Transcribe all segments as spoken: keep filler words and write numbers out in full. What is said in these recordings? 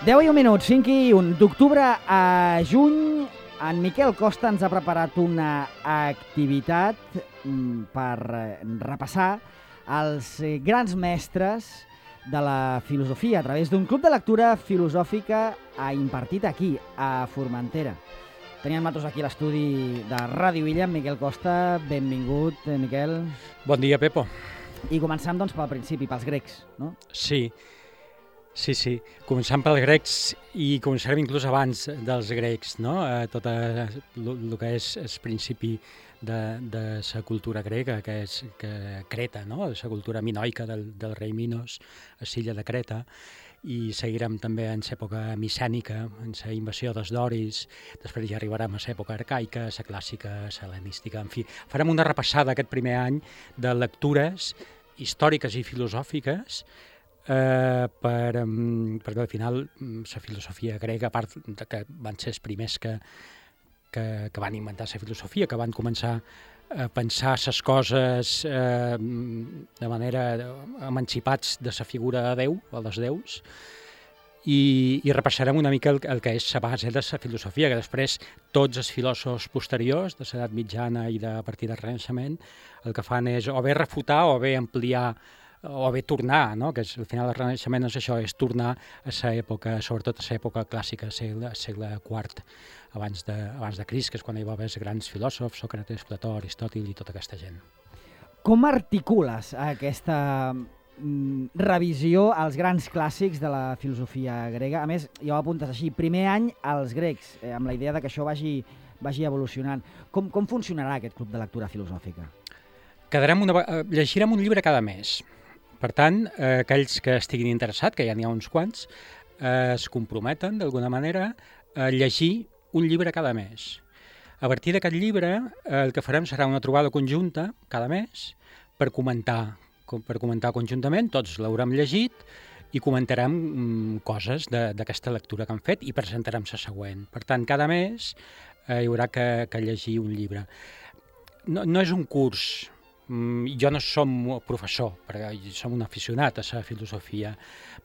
deu i un minuts, cinc i un d'octubre a juny, en Miquel Costa ens ha preparat una activitat per repassar els grans mestres de la filosofia a través d'un club de lectura filosòfica impartit aquí, a Formentera. Teníem nosaltres aquí l'estudi de Ràdio Illa, amb Miquel Costa. Benvingut, Miquel. Bon dia, Pepo. I començam, doncs, pel principi, pels grecs, no? Sí, sí, sí. Començant pels grecs i començarem inclús abans dels grecs, no? Eh, tot el que és el principi de, de la cultura grega, que és que Creta, no? La cultura minoica del, del rei Minos, a l'illa de Creta, i seguirem també en l'època micènica, en la invasió dels doris, després ja arribarem a l'època arcaica, la clàssica, la hel·lenística, en fi. Farem una repassada aquest primer any de lectures històriques i filosòfiques, eh, per, perquè al final la filosofia grega, a part que van ser els primers que, que, que van inventar la filosofia, que van començar a pensar les coses eh, de manera emancipats de la figura de Déu, o dels déus, i, i repassarem una mica el, el que és la base de la filosofia, que després tots els filòsofs posteriors, de l'edat mitjana i de a partir del Renaixement, el que fan és o bé refutar o bé ampliar o bé tornar, no? Que és, al final del Renaixement és això, és tornar a l'època, sobretot a l'època clàssica, segle, segle quart, abans de, abans de Crist, que és quan hi va haver els grans filòsofs, Sòcrates, Plató, Aristòtil i tota aquesta gent. Com articules aquesta mm, revisió als grans clàssics de la filosofia grega? A més, ja ho apuntes així, primer any als grecs, eh, amb la idea de que això vagi, vagi evolucionant. Com, com funcionarà aquest club de lectura filosòfica? Quedarem una, llegirem un llibre cada mes. Per tant, eh, aquells que estiguin interessats, que ja n'hi ha uns quants, eh, es comprometen d'alguna manera a llegir un llibre cada mes. A partir d'aquest llibre, eh, el que farem serà una trobada conjunta cada mes per comentar, per comentar conjuntament, tots l'haurem llegit i comentarem mm, coses d'aquesta lectura que hem fet i presentarem la següent. Per tant, cada mes eh, hi haurà que, que llegir un llibre. No, no és un curs. Jo no som professor, perquè som un aficionat a la filosofia,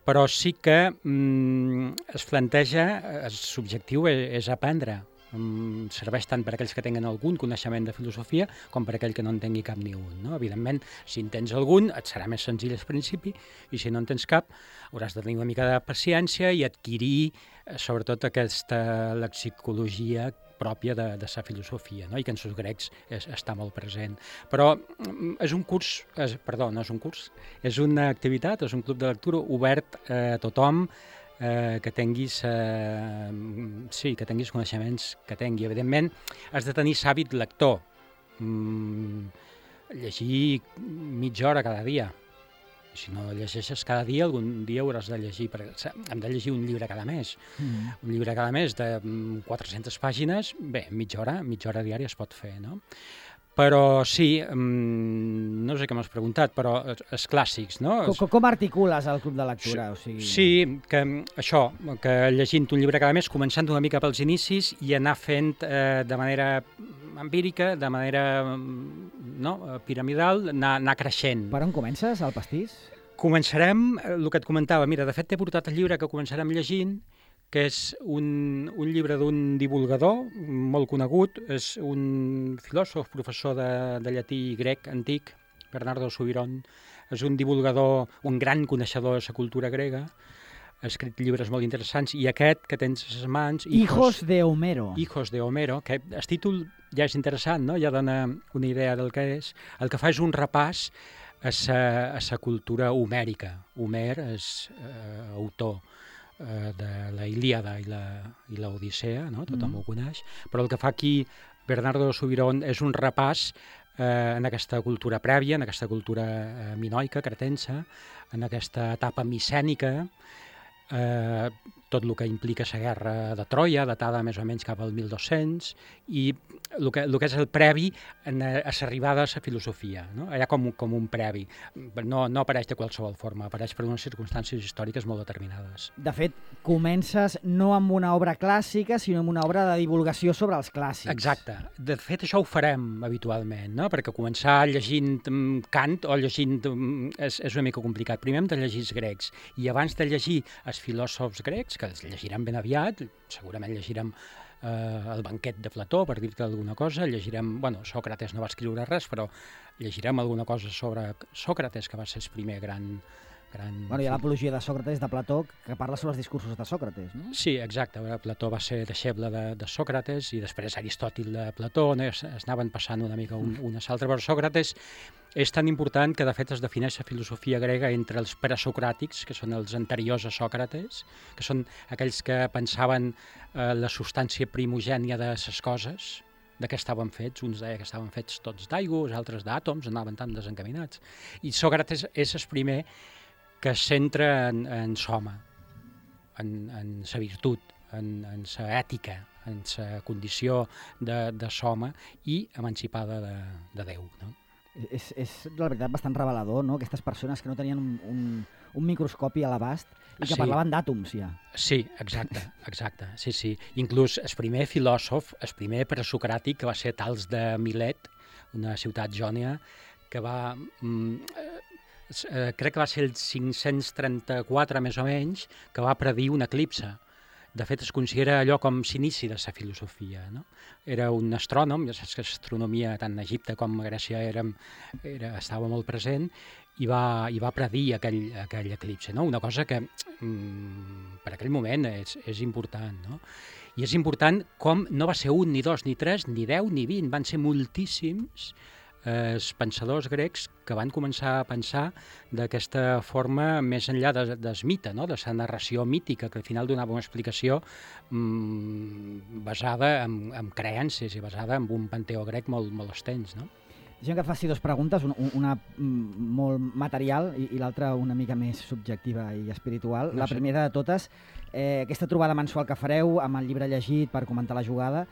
però sí que mm, es planteja, l'objectiu és, és aprendre. Mm, serveix tant per aquells que tenen algun coneixement de filosofia com per aquell que no en tingui cap ni un, no? Evidentment, si en tens algun, et serà més senzill al principi, i si no en tens cap, hauràs de tenir una mica de paciència i adquirir, sobretot, aquesta lexicologia pròpia de, de la filosofia, no? I que en els grecs és, està molt present. Però és un curs, és, perdó, no és un curs, és una activitat, és un club de lectura obert a tothom eh, que tinguis, eh, sí, que tinguis coneixements que tingui. Evidentment, has de tenir l'hàbit lector, mm, llegir mitja hora cada dia. Si no llegeixes cada dia, algun dia hauràs de llegir, perquè hem de llegir un llibre cada mes. Mm. Un llibre cada mes de quatre-centes pàgines, bé, mitja hora, mitja hora diària es pot fer, no? Però sí, no sé què m'has preguntat, però els clàssics, no? Com, com articules el club de lectura? O sigui... Sí, que això, que llegint un llibre cada mes, començant una mica pels inicis i anar fent eh, de manera empírica, de manera no, piramidal, anar, anar creixent. Per on comences, el pastís? Començarem, el que et comentava, mira, de fet t'he portat el llibre que començarem llegint, que és un, un llibre d'un divulgador molt conegut, és un filòsof, professor de, de llatí i grec antic, Bernardo Subirón, és un divulgador, un gran coneixedor de la cultura grega, ha escrit llibres molt interessants, i aquest que tens a les mans... Hijos, Hijos de Homero. Hijos de Homero, que el títol ja és interessant, no? Ja dona una idea del que és. El que fa és un repàs a la cultura homèrica. Homer és eh, autor eh, de la Ilíada i la, i la Odissea, no? Tothom mm. ho coneix, però el que fa aquí Bernardo Subirón és un repàs eh, en aquesta cultura prèvia, en aquesta cultura eh, minoica, cretensa, en aquesta etapa micènica, eh, tot el que implica la guerra de Troia, datada més o menys cap al mil dos-cents, i el que, el que és el previ en, a l'arribada a la filosofia, no? Allà com, com un previ. No, no apareix de qualsevol forma, apareix per unes circumstàncies històriques molt determinades. De fet, comences no amb una obra clàssica, sinó amb una obra de divulgació sobre els clàssics. Exacte. De fet, això ho farem habitualment, no? Perquè començar llegint Kant o llegint és, és una mica complicat. Primer hem de llegir els grecs, i abans de llegir els filòsofs grecs, interessats, que els llegirem ben aviat, segurament llegirem eh, el banquet de Plató, per dir-te alguna cosa, llegirem, bueno, Sòcrates no va escriure res, però llegirem alguna cosa sobre Sòcrates, que va ser el primer gran... gran... Bueno, hi ha l'apologia de Sòcrates de Plató, que parla sobre els discursos de Sòcrates, no? Sí, exacte. Plató va ser deixeble de, de Sòcrates i després Aristòtil de Plató, no? es, es anaven passant una mica un, una altra, però Sòcrates és tan important que de fet es defineix la filosofia grega entre els presocràtics, que són els anteriors a Sòcrates, que són aquells que pensaven eh, la substància primogènia de les coses, de què estaven fets. Uns deien que estaven fets tots d'aigua, els altres d'àtoms, anaven tan desencaminats. I Sòcrates és el primer que es centra en, en l'home, en, en sa virtut, en, en sa ètica, en sa condició de, de l'home i emancipada de, de Déu, no? És, és, la veritat, bastant revelador, no? Aquestes persones que no tenien un, un, un microscopi a l'abast i que Sí. parlaven d'àtoms, ja. Sí, exacte, exacte, sí, sí. Inclús el primer filòsof, el primer presocràtic, que va ser Tals de Milet, una ciutat jònia, que va... Mm, eh, crec que va ser el cinc-cents trenta-quatre, més o menys, que va predir un eclipse. De fet, es considera allò com s'inici de la filosofia, no? Era un astrònom, ja saps que l'astronomia tant a Egipte com a Grècia era, era, estava molt present, i va, i va predir aquell, aquell eclipse, no? Una cosa que mm, per aquell moment és, és important, no? I és important com no va ser un, ni dos, ni tres, ni deu, ni vint, van ser moltíssims eh, els pensadors grecs que van començar a pensar d'aquesta forma més enllà de, del mite, no? De la narració mítica, que al final donava una explicació mm, basada en, en creences i basada en un panteó grec molt, molt extens, no? Deixem que et faci dues preguntes, una, una mm, molt material i, i l'altra una mica més subjectiva i espiritual. No la sé. primera de totes, eh, aquesta trobada mensual que fareu amb el llibre llegit per comentar la jugada,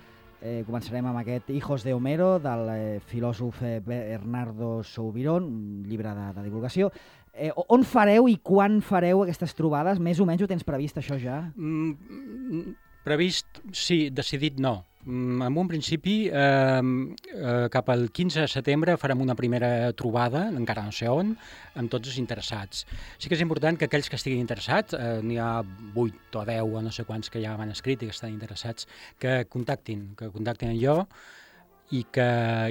eh, començarem amb aquest Hijos de Homero, del eh, filòsof eh, Bernardo Soubirón, un llibre de, de divulgació. Eh, on fareu i quan fareu aquestes trobades? Més o menys ho tens previst, això ja? Mm, previst, sí, decidit no. Mm, en un principi, eh, eh, cap al quinze de setembre farem una primera trobada, encara no sé on, amb tots els interessats. Sí que és important que aquells que estiguin interessats, eh, n'hi ha vuit o deu o no sé quants que ja m'han escrit i que estan interessats, que contactin, que contactin amb jo, i que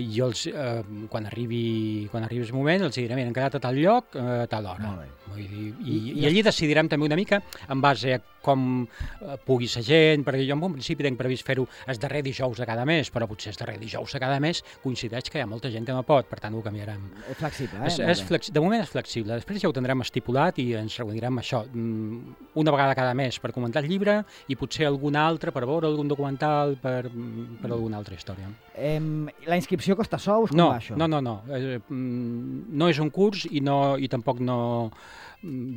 jo, els, eh, quan, arribi, quan arribi el moment, els diré, mira, hem quedat a tal lloc, eh, a tal hora. Molt bé. Vull dir, i, I- i, i I allí decidirem també una mica en base a com eh, pugui ser gent, perquè jo en un principi tenc previst fer-ho el darrer dijous de cada mes, però potser el darrer dijous de cada mes coincideix que hi ha molta gent que no pot, per tant ho canviarem. És flexible, eh? És, Molt és bé. flexi... De moment és flexible, després ja ho tindrem estipulat i ens reunirem això, mm, una vegada cada mes per comentar el llibre i potser alguna altra per veure algun documental, per, per alguna altra història. Em, la inscripció costa sous? Com No, va això? no, no, no. Eh, mm, no és un curs i, no, i tampoc no... mm,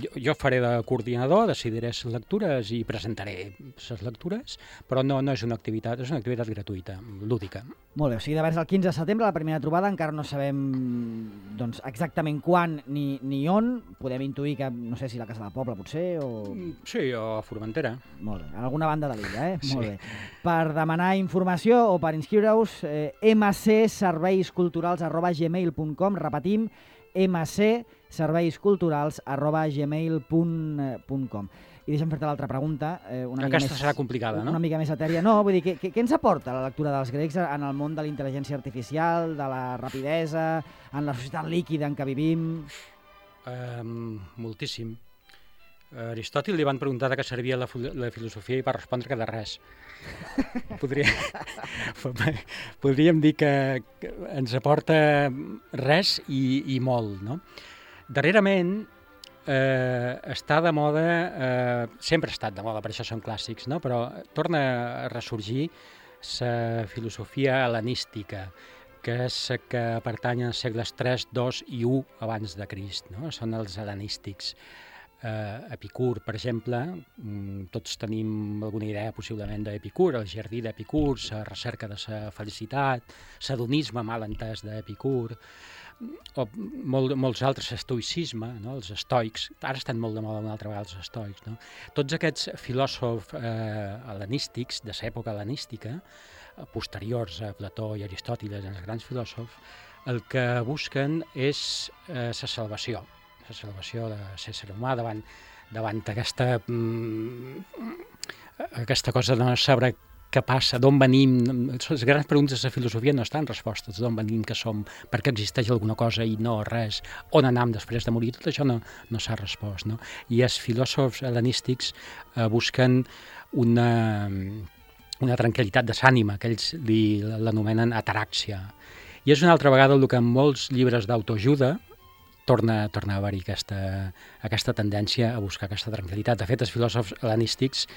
Jo, jo faré de coordinador, decidiré les lectures i presentaré les lectures, però no, no és una activitat, és una activitat gratuïta, lúdica. Molt bé, o sigui, de vers el quinze de setembre, la primera trobada, encara no sabem doncs, exactament quan ni, ni on. Podem intuir que, no sé si la Casa del Poble, potser, o... Mm, Sí, o a Formentera. Molt bé, en alguna banda de l'illa, eh? Sí. Molt bé. Per demanar informació o per inscriure-us, eh, mcserveisculturals arroba gmail punt com, repetim, mcserveisculturals arroba gmail punt com. I deixa'm fer-te l'altra pregunta. Eh, una mica Aquesta més, serà complicada, no? Una mica més etèria. No, vull dir, què, què, què ens aporta la lectura dels grecs en el món de la intel·ligència artificial, de la rapidesa, en la societat líquida en què vivim? Um, moltíssim. A Aristòtil li van preguntar de què servia la, filo- la filosofia i va respondre que de res. Podria... Podríem dir que, que ens aporta res i, i molt, no? Darrerament eh, està de moda, eh, sempre ha estat de moda, per això són clàssics, no? Però torna a ressorgir la filosofia hel·lenística, que és la que pertany als segles tres, dos i u abans de Crist, no? Són els hel·lenístics. Uh, Epicur, per exemple, mm, tots tenim alguna idea possiblement d'Epicur, el jardí d'Epicur, la recerca de la felicitat, l'hedonisme mal entès d'Epicur, o molt, molts altres, estoicisme, no? Els estoics, ara estan molt de moda una altra vegada els estoics, no? Tots aquests filòsofs eh, hel·lenístics, de l'època hel·lenística, eh, posteriors a Plató i Aristòteles, els grans filòsofs, el que busquen és eh, la salvació, la salvació de l'ésser humà davant davant aquesta, aquesta cosa de no saber què passa, d'on venim. Les grans preguntes de filosofia no estan respostes, d'on venim, què som, per què existeix alguna cosa i no res, on anam després de morir, tot això no, no s'ha respost, no? I els filòsofs hel·lenístics eh, busquen una, una tranquil·litat de l'ànima, que ells li, l'anomenen ataràxia. I és una altra vegada el que en molts llibres d'autoajuda torna, torna a haver-hi aquesta, aquesta tendència a buscar aquesta tranquil·litat. De fet, els filòsofs hel·lenístics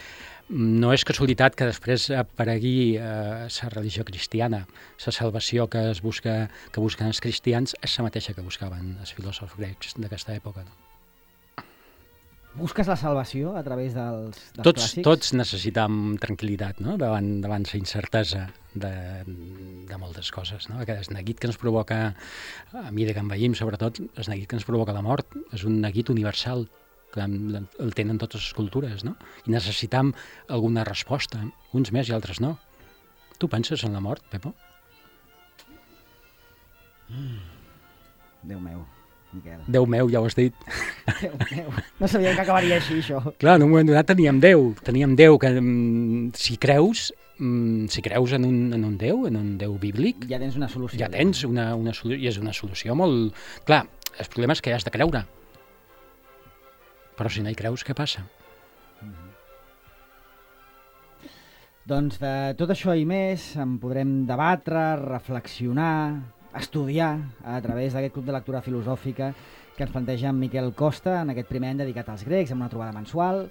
no és casualitat que després aparegui eh, la religió cristiana. La salvació que es busca, que busquen els cristians és la mateixa que buscaven els filòsofs grecs d'aquesta època. No? Busques la salvació a través dels, dels tots, clàssics? Tots necessitam tranquil·litat, no? davant, davant la incertesa de, de moltes coses. No? Aquest neguit que ens provoca, a mi de que envellim sobretot, el neguit que ens provoca la mort és un neguit universal, que el tenen totes les cultures, no? I necessitam alguna resposta, uns més i altres no. Tu penses en la mort, Pepo? Mm. Déu meu, Miquel. Déu meu, ja ho has dit. Déu meu, no sabia que acabaria així, això. Clar, en un moment donat teníem Déu, teníem Déu que mm, si creus, mm, si creus en un, en un Déu, en un Déu bíblic... Ja tens una solució. Ja tens una, una solució, i és una solució molt... Clar, el problema és que has de creure. Però si no hi creus, què passa? Mm-hmm. Doncs de tot això i més en podrem debatre, reflexionar, estudiar a través d'aquest club de lectura filosòfica que ens planteja en Miquel Costa en aquest primer any dedicat als grecs, amb una trobada mensual.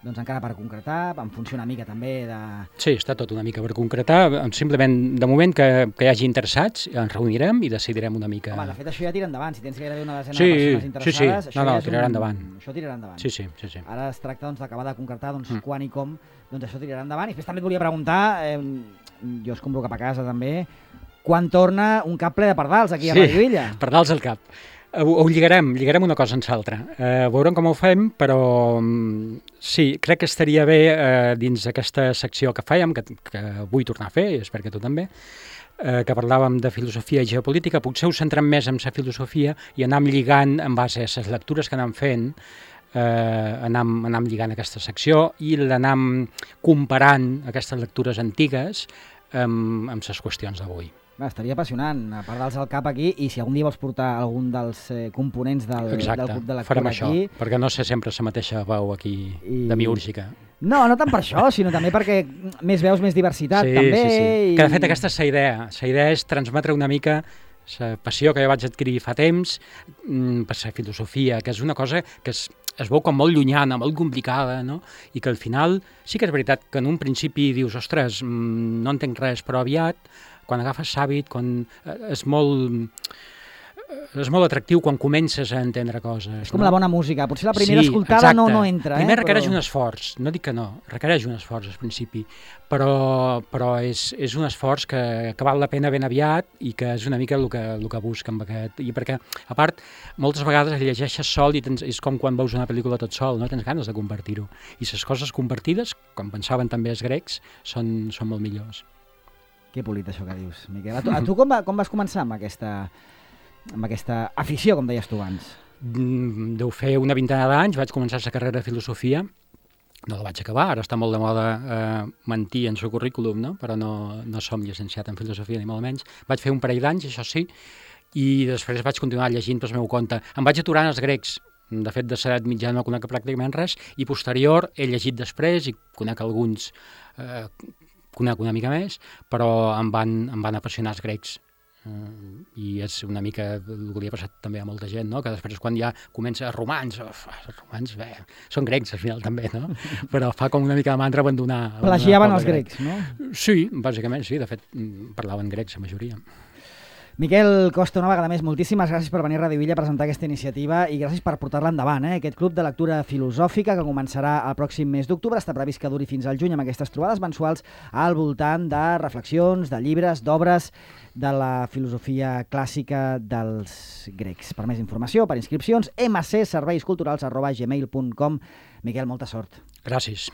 Doncs encara per concretar, en funció una mica també de... Sí, està tot una mica per concretar. Simplement, de moment que, que hi hagi interessats, ens reunirem i decidirem una mica... Home, de fet, això ja tira endavant. Si tens gairebé una desena sí, de persones interessades... Sí, sí, no, no, tirarà un... endavant. Això tirarà endavant. Sí, sí, sí, sí. Ara es tracta doncs, d'acabar de concretar doncs, mm. quan i com doncs, això tirarà endavant. I després també et volia preguntar, eh, jo es compro cap a casa també, quan torna un cap ple de pardals aquí a sí, Radio Illa? Pardals al cap. Ho, ho lligarem, lligarem una cosa en l'altra. Eh, veurem com ho fem, però sí, crec que estaria bé eh, dins d'aquesta secció que fèiem, que, que vull tornar a fer, i espero que tu també, eh, que parlàvem de filosofia i geopolítica, potser ho centrem més en la filosofia i anam lligant en base a les lectures que anam fent, eh, anam, anam lligant aquesta secció i l'anam comparant aquestes lectures antigues amb, amb les qüestions d'avui. Estaria apassionant, a part dels al cap aquí, i si algun dia vols portar algun dels eh, components del, Exacte, del club de lectura farem això, aquí... perquè no sé sempre la mateixa veu aquí I... demiúrgica. No, no tant per això, sinó també perquè més veus, més diversitat, sí, també. Sí, sí. I... Que de fet aquesta és la idea, la idea és transmetre una mica la passió que jo vaig adquirir fa temps mmm, per la filosofia, que és una cosa que es, es veu com molt llunyana, molt complicada, no? I que al final sí que és veritat que en un principi dius, ostres, mmm, no entenc res, però aviat quan agafes l'hàbit, quan és molt, és molt atractiu quan comences a entendre coses. És com no? La bona música, potser la primera sí, escoltada no, no entra. Primer eh? requereix però... un esforç, no dic que no, requereix un esforç al principi, però, però és, és un esforç que, que val la pena ben aviat i que és una mica el que, el que busca amb aquest... I perquè, a part, moltes vegades llegeixes sol i tens, és com quan veus una pel·lícula tot sol, no tens ganes de compartir-ho. I les coses compartides, com pensaven també els grecs, són, són molt millors. Que polit això que dius, Miquel. A tu, a tu com, va, com vas començar amb aquesta, amb aquesta afició, com deies tu abans? Deu fer una vintena d'anys, vaig començar la carrera de filosofia, no la vaig acabar, ara està molt de moda eh, mentir en el currículum, no? Però no, no som llicenciat en filosofia ni molt menys. Vaig fer un parell d'anys, això sí, i després vaig continuar llegint pel meu compte. Em vaig aturar en els grecs, de fet de l'edat mitjana no conec pràcticament res, i posterior he llegit després i conec alguns... Eh, conec una mica més, però em van, em van apassionar els grecs. Uh, I és una mica el que li ha passat també a molta gent, no? Que després quan ja comença els romans, uf, els romans bé, són grecs al final també, no? Però fa com una mica de mandra abandonar... Plagiaven els grecs, no? Sí, bàsicament sí, de fet parlaven grecs la majoria. Miquel Costa, una vegada més, moltíssimes gràcies per venir a Radio Illa a presentar aquesta iniciativa i gràcies per portar-la endavant, eh? Aquest club de lectura filosòfica que començarà el pròxim mes d'octubre, està previst que duri fins al juny amb aquestes trobades mensuals al voltant de reflexions, de llibres, d'obres de la filosofia clàssica dels grecs. Per més informació, per inscripcions, m c serveis culturals arroba gmail punt com. Miquel, molta sort. Gràcies.